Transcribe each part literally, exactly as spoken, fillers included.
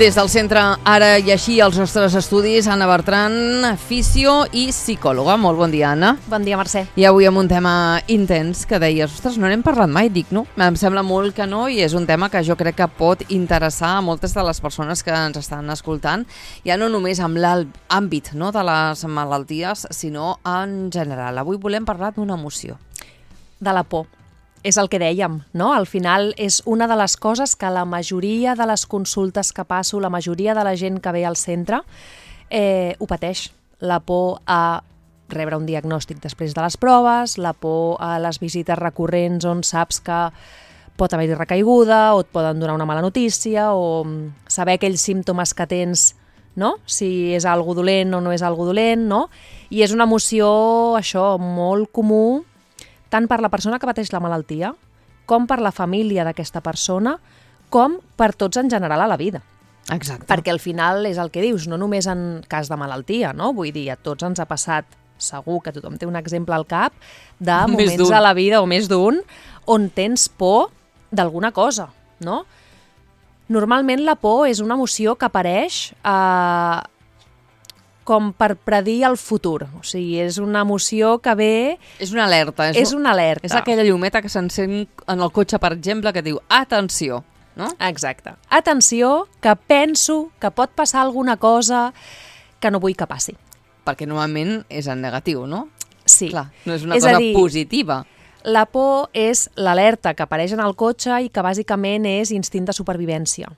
Des del centre Ara i Així als nostres estudis, Anna Bertran, fisio i psicòloga. Molt bon dia, Anna. Bon dia, Mercè. I avui amb un tema intens que deies, ostres, no n'hem parlat mai, dic, no? Em sembla molt que no, i és un tema que jo crec que pot interessar a moltes de les persones que ens estan escoltant, ja no només amb l'àmbit, no, de les malalties, sinó en general. Avui volem parlar d'una emoció. De la por. És el que dèiem, no? Al final és una de les coses que la majoria de les consultes que passo, la majoria de la gent que ve al centre, eh, ho pateix. La por a rebre un diagnòstic després de les proves, la por a les visites recurrents on saps que pot haver-hi recaiguda o et poden donar una mala notícia o saber aquells símptomes que tens, no? Si és algo dolent o no és algo dolent, no? I és una emoció, això, molt comú, tant per la persona que pateix la malaltia, com per la família d'aquesta persona, com per tots en general a la vida. Exacte. Perquè al final és el que dius, no només en cas de malaltia, no? Vull dir, a tots ens ha passat, segur que tothom té un exemple al cap, de moments a la vida, o més d'un, on tens por d'alguna cosa, no? Normalment la por és una emoció que apareix eh, com per predir el futur. O sigui, és una emoció que ve... És una alerta. És, és una alerta. És aquella llumeta que s'encén en el cotxe, per exemple, que diu, atenció, no? Exacte. Atenció, que penso que pot passar alguna cosa que no vull que passi. Perquè normalment és en negatiu, no? Sí. Clar, no és una és cosa dir, positiva. La por és l'alerta que apareix en el cotxe i que bàsicament és instint de supervivència.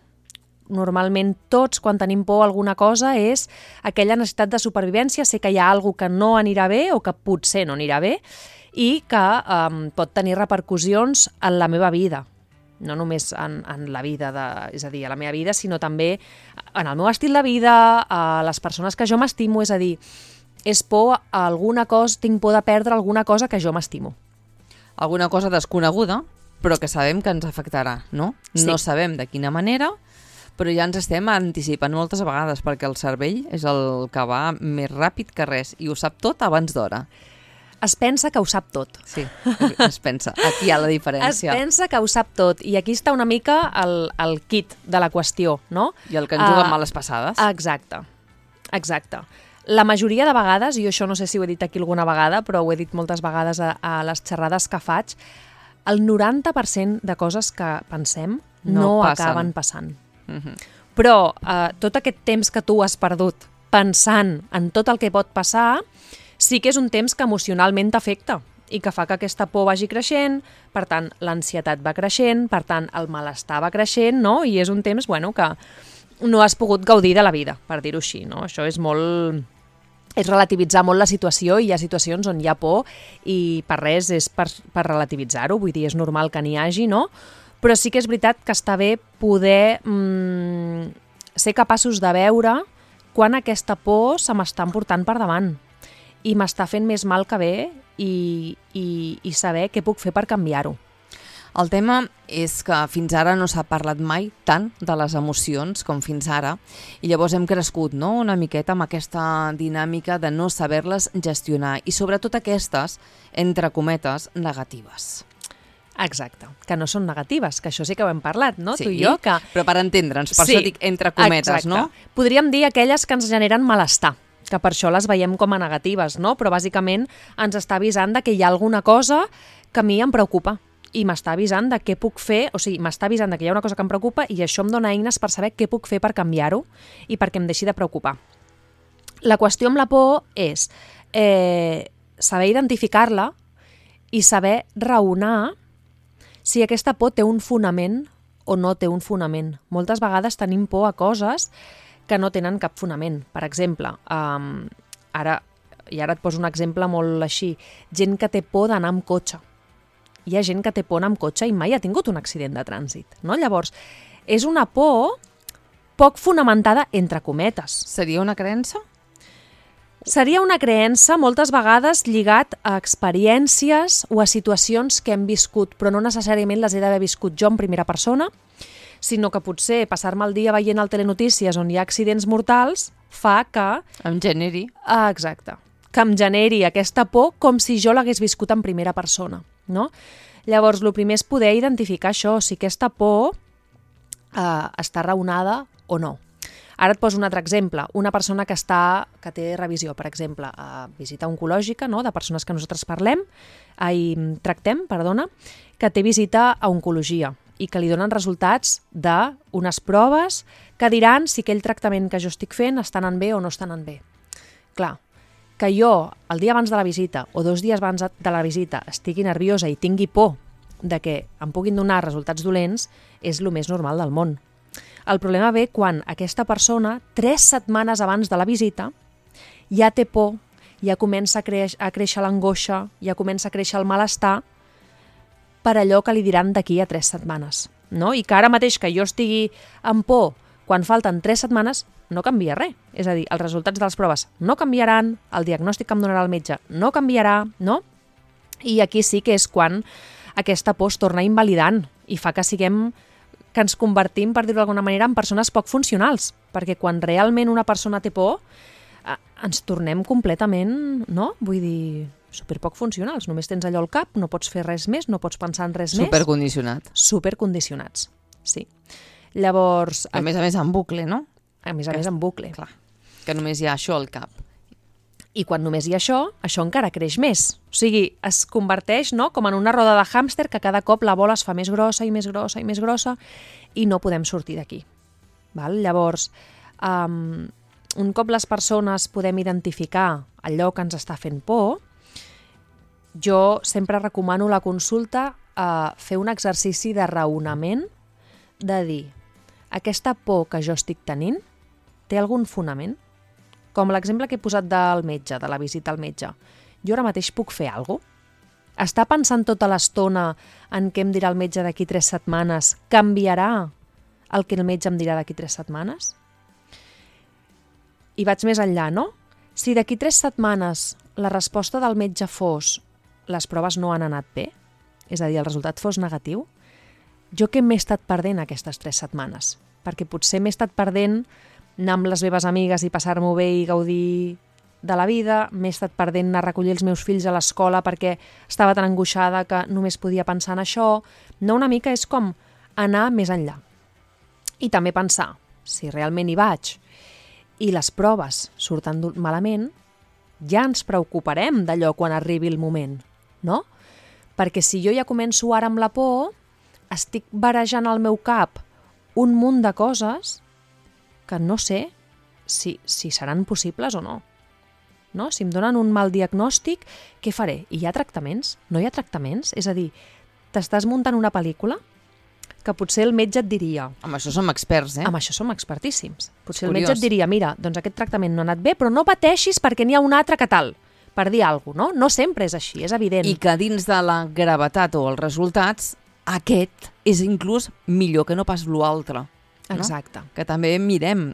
Normalment tots, quan tenim por a alguna cosa, és aquella necessitat de supervivència, sé que hi ha alguna cosa que no anirà bé o que potser no anirà bé i que um, pot tenir repercussions en la meva vida. No només en, en la vida, de, és a dir, a la meva vida, sinó també en el meu estil de vida, a les persones que jo m'estimo, és a dir, és por a alguna cosa, tinc por de perdre alguna cosa que jo m'estimo. Alguna cosa desconeguda, però que sabem que ens afectarà, no? Sí. No sabem de quina manera, però ja ens estem anticipant moltes vegades perquè el cervell és el que va més ràpid que res i ho sap tot abans d'hora. Es pensa que ho sap tot. Sí, es pensa. Aquí hi ha la diferència. Es pensa que ho sap tot i aquí està una mica el, el kit de la qüestió, no? I el que ens juga uh, males passades. Exacte, exacte. La majoria de vegades, i això no sé si ho he dit aquí alguna vegada, però ho he dit moltes vegades a, a les xerrades que faig, el noranta per cent de coses que pensem no, no acaben passant. Uh-huh. Però eh, tot aquest temps que tu has perdut pensant en tot el que pot passar, sí que és un temps que emocionalment t'afecta i que fa que aquesta por vagi creixent, per tant, l'ansietat va creixent, per tant, el malestar va creixent, no? I és un temps, bueno, que no has pogut gaudir de la vida, per dir-ho així, no? Això és molt... és relativitzar molt la situació i hi ha situacions on hi ha por i per res és per, per relativitzar-ho, vull dir, és normal que n'hi hagi, no? Però sí que és veritat que està bé poder mm, ser capaços de veure quan aquesta por se m'està emportant per davant i m'està fent més mal que bé i, i, i saber què puc fer per canviar-ho. El tema és que fins ara no s'ha parlat mai tant de les emocions com fins ara i llavors hem crescut, no?, una miqueta amb aquesta dinàmica de no saber-les gestionar i sobretot aquestes, entre cometes, negatives. Exacte, que no són negatives, que això sí que ho hem parlat, no? Sí, tu i jo, que... però per entendre'ns, per sí, això dic entre cometes, exacte. No? Podríem dir aquelles que ens generen malestar, que per això les veiem com a negatives, no? Però bàsicament ens està avisant de que hi ha alguna cosa que a mi em preocupa i m'està avisant de què puc fer, o sigui, m'està avisant de que hi ha una cosa que em preocupa i això em dona eines per saber què puc fer per canviar-ho i perquè em deixi de preocupar. La qüestió amb la por és eh, saber identificar-la i saber raonar si aquesta por té un fonament o no té un fonament. Moltes vegades tenim por a coses que no tenen cap fonament. Per exemple, um, ara, i ara et poso un exemple molt així, gent que té por d'anar amb cotxe. Hi ha gent que té por d'anar amb cotxe i mai ha tingut un accident de trànsit, no? Llavors, és una por poc fonamentada entre cometes. Seria una creença? Seria una creença moltes vegades lligat a experiències o a situacions que hem viscut, però no necessàriament les he d'haver viscut jo en primera persona, sinó que potser passar-me el dia veient el telenotícies on hi ha accidents mortals fa que... Em generi. Ah, exacte. Que em generi aquesta por com si jo l'hagués viscut en primera persona, no? Llavors, el primer és poder identificar això, si aquesta por eh, està raonada o no. Ara et poso un altre exemple. Una persona que està que té revisió, per exemple, a visita oncològica, no? De persones que nosaltres parlem, ai, tractem, perdona, que té visita a oncologia i que li donen resultats d'unes proves que diran si aquell tractament que jo estic fent està anant bé o no està anant bé. Clar, que jo, el dia abans de la visita o dos dies abans de la visita, estigui nerviosa i tingui por de que em puguin donar resultats dolents és el més normal del món. El problema ve quan aquesta persona, tres setmanes abans de la visita, ja té por, ja comença a, creix, a créixer l'angoixa, ja comença a créixer el malestar per allò que li diran d'aquí a tres setmanes. No? I que ara mateix que jo estigui amb por quan falten tres setmanes, no canvia res. És a dir, els resultats de les proves no canviaran, el diagnòstic que em donarà el metge no canviarà, no? I aquí sí que és quan aquesta por es torna invalidant i fa que siguem, que ens convertim, per dir-ho d'alguna manera, en persones poc funcionals, perquè quan realment una persona té por, eh, ens tornem completament, no? Vull dir, superpoc funcionals. Només tens allò al cap, no pots fer res més, no pots pensar en res més. Supercondicionat. Supercondicionats, sí. Llavors... A més a més en bucle, no? A més a més en bucle. Clar, que només hi ha això al cap. I quan només hi ha això, això encara creix més. O sigui, es converteix, no?, com en una roda de hàmster que cada cop la bola es fa més grossa i més grossa i més grossa i no podem sortir d'aquí. Val? Llavors, um, un cop les persones podem identificar allò que ens està fent por, jo sempre recomano la consulta a fer un exercici de raonament, de dir, aquesta por que jo estic tenint té algun fonament? Com l'exemple que he posat del metge, de la visita al metge. Jo ara mateix puc fer alguna cosa? Està pensant tota l'estona en què em dirà el metge d'aquí tres setmanes? Canviarà el que el metge em dirà d'aquí tres setmanes? I vaig més enllà, no? Si d'aquí tres setmanes la resposta del metge fos les proves no han anat bé, és a dir, el resultat fos negatiu, jo què m'he estat perdent aquestes tres setmanes? Perquè potser m'he estat perdent anar amb les meves amigues i passar-m'ho bé i gaudir de la vida, m'he estat perdent anar a recollir els meus fills a l'escola perquè estava tan angoixada que només podia pensar en això. No, una mica és com anar més enllà. I també pensar, si realment hi vaig i les proves surten malament, ja ens preocuparem d'allò quan arribi el moment, no? Perquè si jo ja començo ara amb la por, estic barejant al meu cap un munt de coses que no sé si, si seran possibles o no. No? Si em donen un mal diagnòstic, què faré? I hi ha tractaments? No hi ha tractaments? És a dir, t'estàs muntant una pel·lícula que potser el metge et diria... Amb això som experts, eh? Amb això som expertíssims. Potser el metge et diria, mira, doncs aquest tractament no ha anat bé, però no pateixis perquè n'hi ha un altre que tal, per dir alguna cosa, no? No sempre és així, és evident. I que dins de la gravetat o els resultats, aquest és inclús millor que no pas l'altre. No? Exacte. Que també mirem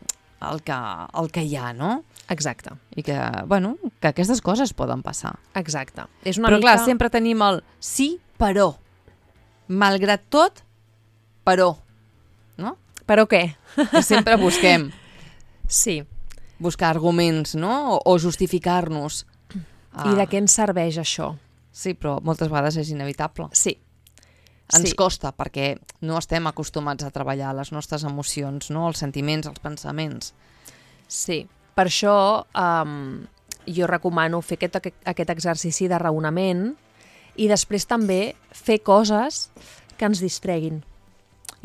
el que, el que hi ha, no? Exacte. I que, bueno, que aquestes coses poden passar. Exacte. És una però mica... clar, sempre tenim el sí, però. Malgrat tot, però. No? Però què? I sempre busquem. Sí. Buscar arguments, no? O, o justificar-nos. I de què ens serveix això? Sí, però moltes vegades és inevitable. Sí. Ens sí. costa, perquè no estem acostumats a treballar les nostres emocions, no? Els sentiments, els pensaments. Sí, per això um, jo recomano fer aquest, aquest exercici de raonament i després també fer coses que ens distreguin.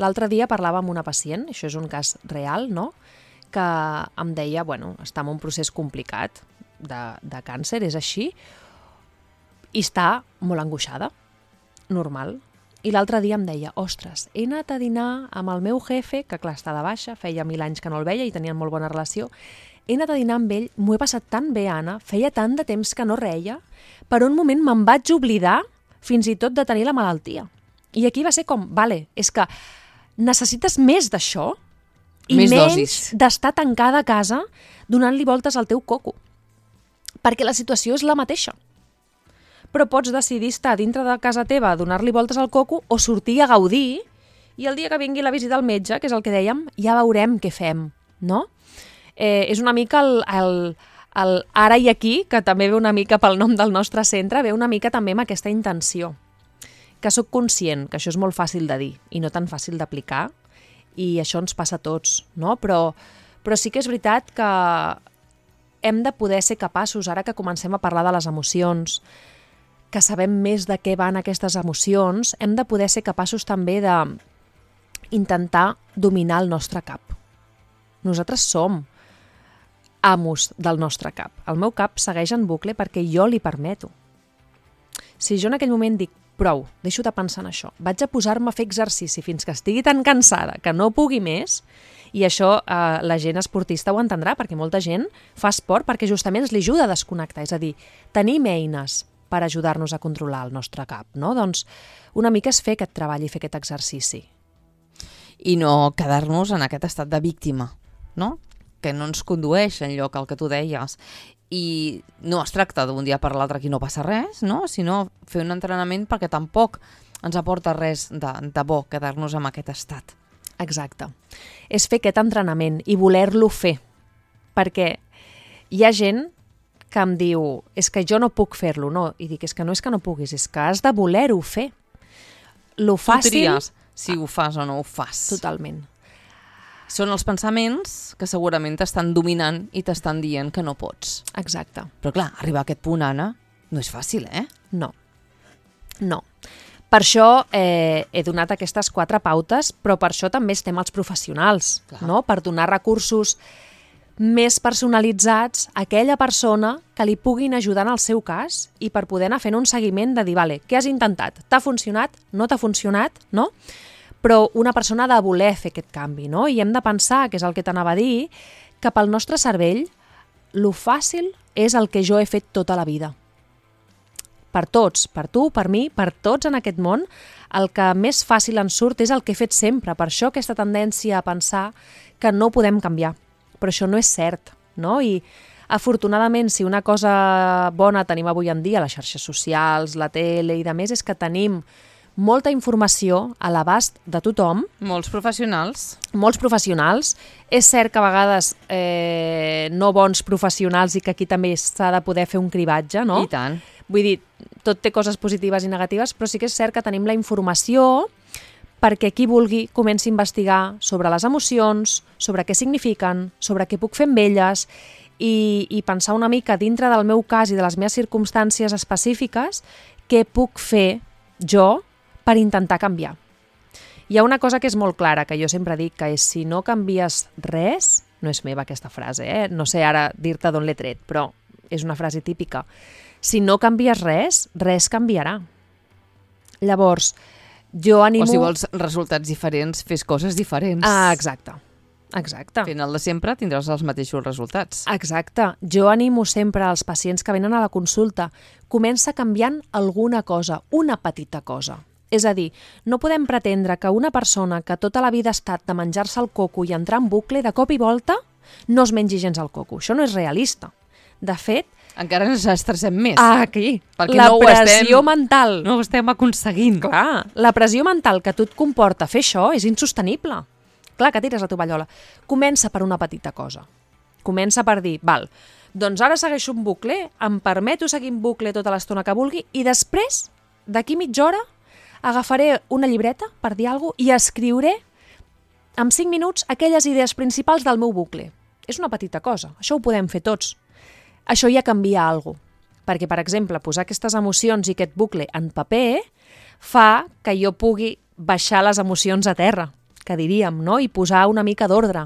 L'altre dia parlava amb una pacient, això és un cas real, no? Que em deia, bueno, està en un procés complicat de, de càncer, és així, i està molt angoixada, normal. I l'altre dia em deia, ostres, he anat a dinar amb el meu jefe, que clar, està de baixa, feia mil anys que no el veia i tenien molt bona relació, he anat a dinar amb ell, m'ho he passat tan bé, Anna, feia tant de temps que no reia, per un moment me'n vaig oblidar fins i tot de tenir la malaltia. I aquí va ser com, vale, és que necessites més d'això i més menys d'estar tancada a casa donant-li voltes al teu coco. Perquè la situació és la mateixa. Però pots decidir estar dintre de casa teva, donar-li voltes al coco o sortir a gaudir i el dia que vingui la visita al metge, que és el que dèiem, ja veurem què fem, no? Eh, és una mica el, el, el ara i aquí, que també ve una mica pel nom del nostre centre, ve una mica també amb aquesta intenció. Que sóc conscient que això és molt fàcil de dir i no tan fàcil d'aplicar i això ens passa a tots, no? Però, Però sí que és veritat que hem de poder ser capaços, ara que comencem a parlar de les emocions, que sabem més de què van aquestes emocions, hem de poder ser capaços també de intentar dominar el nostre cap. Nosaltres som amos del nostre cap. El meu cap segueix en bucle perquè jo li permeto. Si jo en aquell moment dic, prou, deixo de pensar en això, vaig a posar-me a fer exercici fins que estigui tan cansada que no pugui més, i això eh, la gent esportista ho entendrà, perquè molta gent fa esport perquè justament ens li ajuda a desconnectar, és a dir, tenim eines per ajudar-nos a controlar el nostre cap, no? Doncs una mica és fer aquest treball i fer aquest exercici. I no quedar-nos en aquest estat de víctima, no? Que no ens condueix enlloc al que tu deies. I no es tracta d'un dia per l'altre aquí no passa res, no? Sinó fer un entrenament perquè tampoc ens aporta res de, de bo quedar-nos en aquest estat. Exacte. És fer aquest entrenament i voler-lo fer. Perquè hi ha gent que em diu, és que jo no puc fer-lo, no? I dic, és que no és que no puguis, és que has de voler-ho fer. Lo fàcil... Tu tries si ho fas o no ho fas. Totalment. Són els pensaments que segurament t'estan dominant i t'estan dient que no pots. Exacte. Però clar, arribar a aquest punt, Anna, no és fàcil, eh? No. No. Per això eh, he donat aquestes quatre pautes, però per això també estem els professionals, no? Per donar recursos més personalitzats a aquella persona que li puguin ajudar en el seu cas i per poder anar fent un seguiment de dir, vale, què has intentat? T'ha funcionat? No t'ha funcionat? No? Però una persona ha de voler fer aquest canvi, no? I hem de pensar, que és el que t'anava a dir, que pel nostre cervell lo fàcil és el que jo he fet tota la vida. Per tots, per tu, per mi, per tots en aquest món, el que més fàcil ens surt és el que he fet sempre. Per això aquesta tendència a pensar que no podem canviar. Però això no és cert, no? I afortunadament, si una cosa bona tenim avui en dia, les xarxes socials, la tele i de més, és que tenim molta informació a l'abast de tothom. Molts professionals. Molts professionals. És cert que a vegades eh, no bons professionals i que aquí també s'ha de poder fer un cribatge, no? I tant. Vull dir, tot té coses positives i negatives, però sí que és cert que tenim la informació perquè qui vulgui comenci a investigar sobre les emocions, sobre què signifiquen, sobre què puc fer amb elles i, i pensar una mica dintre del meu cas i de les meves circumstàncies específiques què puc fer jo per intentar canviar. Hi ha una cosa que és molt clara, que jo sempre dic, que és si no canvies res, no és meva aquesta frase, eh? No sé ara dir-te d'on l'he tret, però és una frase típica. Si no canvies res, res canviarà. Llavors, jo animo... O si vols resultats diferents, fes coses diferents. Ah, exacte. Exacte. Fent el de sempre tindràs els mateixos resultats. Exacte. Jo animo sempre als pacients que venen a la consulta. Comença canviant alguna cosa, una petita cosa. És a dir, no podem pretendre que una persona que tota la vida ha estat de menjar-se el coco i entrar en bucle, de cop i volta, no es mengi gens el coco. Això no és realista. De fet... Encara ens estressem més. Ah, aquí. Perquè la no pressió estem, mental. No ho estem aconseguint. Clar, la pressió mental que tu et comporta fer això és insostenible. Clar que tires la tovallola. Comença per una petita cosa. Comença per dir, val, doncs ara segueixo un bucle, em permeto seguir un bucle tota l'estona que vulgui i després, d'aquí mitja hora, agafaré una llibreta, per dir alguna cosa, i escriuré en cinc minuts aquelles idees principals del meu bucle. És una petita cosa, això ho podem fer tots. Això ja canvia alguna cosa. Perquè, per exemple, posar aquestes emocions i aquest bucle en paper fa que jo pugui baixar les emocions a terra, que diríem, no? I posar una mica d'ordre.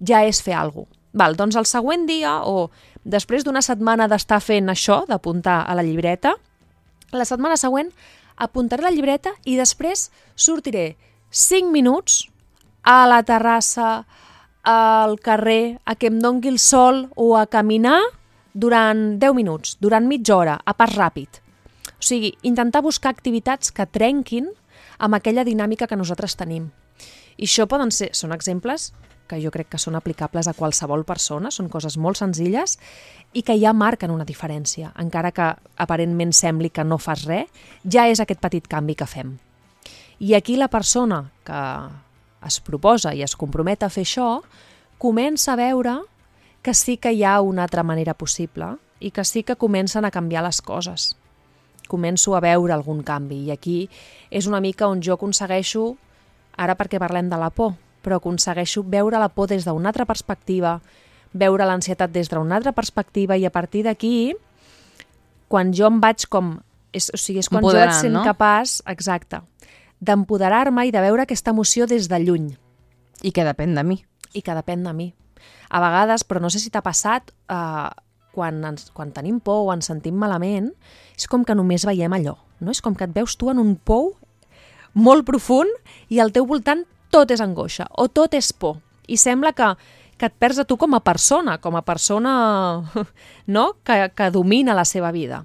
Ja és fer alguna cosa. Val, doncs el següent dia, o després d'una setmana d'estar fent això, d'apuntar a la llibreta, la setmana següent apuntaré la llibreta i després sortiré cinc minuts a la terrassa, al carrer, a que em dongui el sol o a caminar durant deu minuts, durant mitja hora, a pas ràpid. O sigui, intentar buscar activitats que trenquin amb aquella dinàmica que nosaltres tenim. I això poden ser, són exemples que jo crec que són aplicables a qualsevol persona, són coses molt senzilles i que ja marquen una diferència. Encara que aparentment sembli que no fas res, ja és aquest petit canvi que fem. I aquí la persona que es proposa i es compromet a fer això, comença a veure que sí que hi ha una altra manera possible i que sí que comencen a canviar les coses. Començo a veure algun canvi i aquí és una mica on jo aconsegueixo, ara perquè parlem de la por, però aconsegueixo veure la por des d'una altra perspectiva, veure l'ansietat des d'una altra perspectiva, i a partir d'aquí, quan jo em vaig com... És, o sigui, és quan jo vaig sent no? capaç, exacte, d'empoderar-me i de veure aquesta emoció des de lluny. I que depèn de mi. I que depèn de mi. A vegades, però no sé si t'ha passat, eh, quan, ens, quan tenim por o ens sentim malament, és com que només veiem allò. No? És com que et veus tu en un pou molt profund i al teu voltant tot és angoixa o tot és por. I sembla que, que et perds a tu com a persona, com a persona no? que, que domina la seva vida.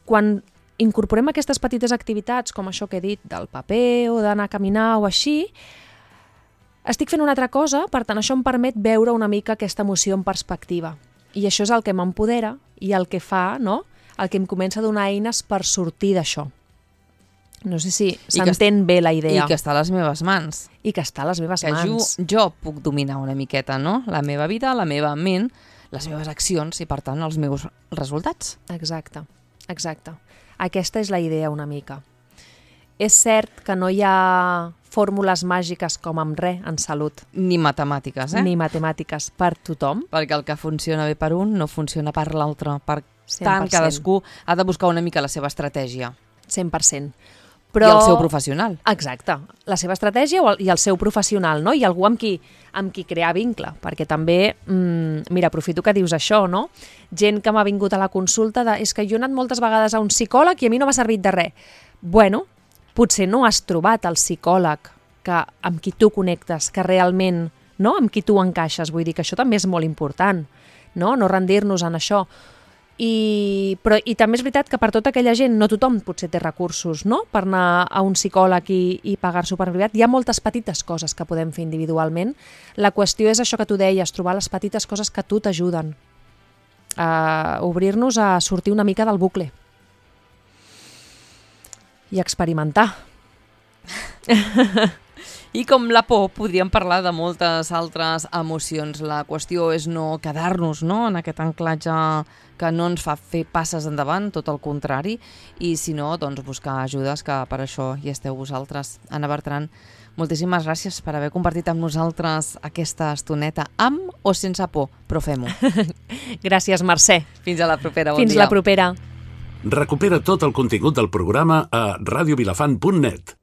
Quan incorporem aquestes petites activitats, com això que he dit, del paper o d'anar a caminar o així, estic fent una altra cosa, per tant això em permet veure una mica aquesta emoció en perspectiva. I això és el que m'empodera i el que fa, no? El que em comença a donar eines per sortir d'això. No sé si s'entén bé la idea. I que està a les meves mans. I que està a les meves que mans. Jo, jo puc dominar una miqueta, no? La meva vida, la meva ment, les meves accions i, per tant, els meus resultats. Exacte, exacte. Aquesta és la idea una mica. És cert que no hi ha fórmules màgiques com amb res en salut. Ni matemàtiques, eh? Ni matemàtiques per tothom. Perquè el que funciona bé per un no funciona per l'altre. Per cent per cent. tant, cadascú ha de buscar una mica la seva estratègia. cent per cent. Però... I el seu professional. Exacte. La seva estratègia i el seu professional, no? I algú amb qui, amb qui crear vincle. Perquè també, mmm, mira, aprofito que dius això, no? Gent que m'ha vingut a la consulta de és que jo he anat moltes vegades a un psicòleg i a mi no m'ha servit de res. Bueno, potser no has trobat el psicòleg que, amb qui tu connectes, que realment, no? Amb qui tu encaixes. Vull dir que això també és molt important, no? No rendir-nos en això. I, però, I també és veritat que per tota aquella gent no tothom potser té recursos, no? Per anar a un psicòleg i, i pagar-s'ho per privat. Hi ha moltes petites coses que podem fer individualment. La qüestió és això que tu deies, trobar les petites coses que a tu t'ajuden. A obrir-nos a sortir una mica del bucle. I experimentar. I com la por, podríem parlar de moltes altres emocions. La qüestió és no quedar-nos, no?, en aquest anclatge que no ens fa fer passes endavant, tot el contrari, i si no, doncs buscar ajudes, que per això hi esteu vosaltres. Anna Bertran, moltíssimes gràcies per haver compartit amb nosaltres aquesta estoneta, amb o sense por, però fem-ho. Gràcies, Mercè. Fins a la propera, bon Fins dia. la propera. Recupera tot el contingut del programa a radio vilafant punt net.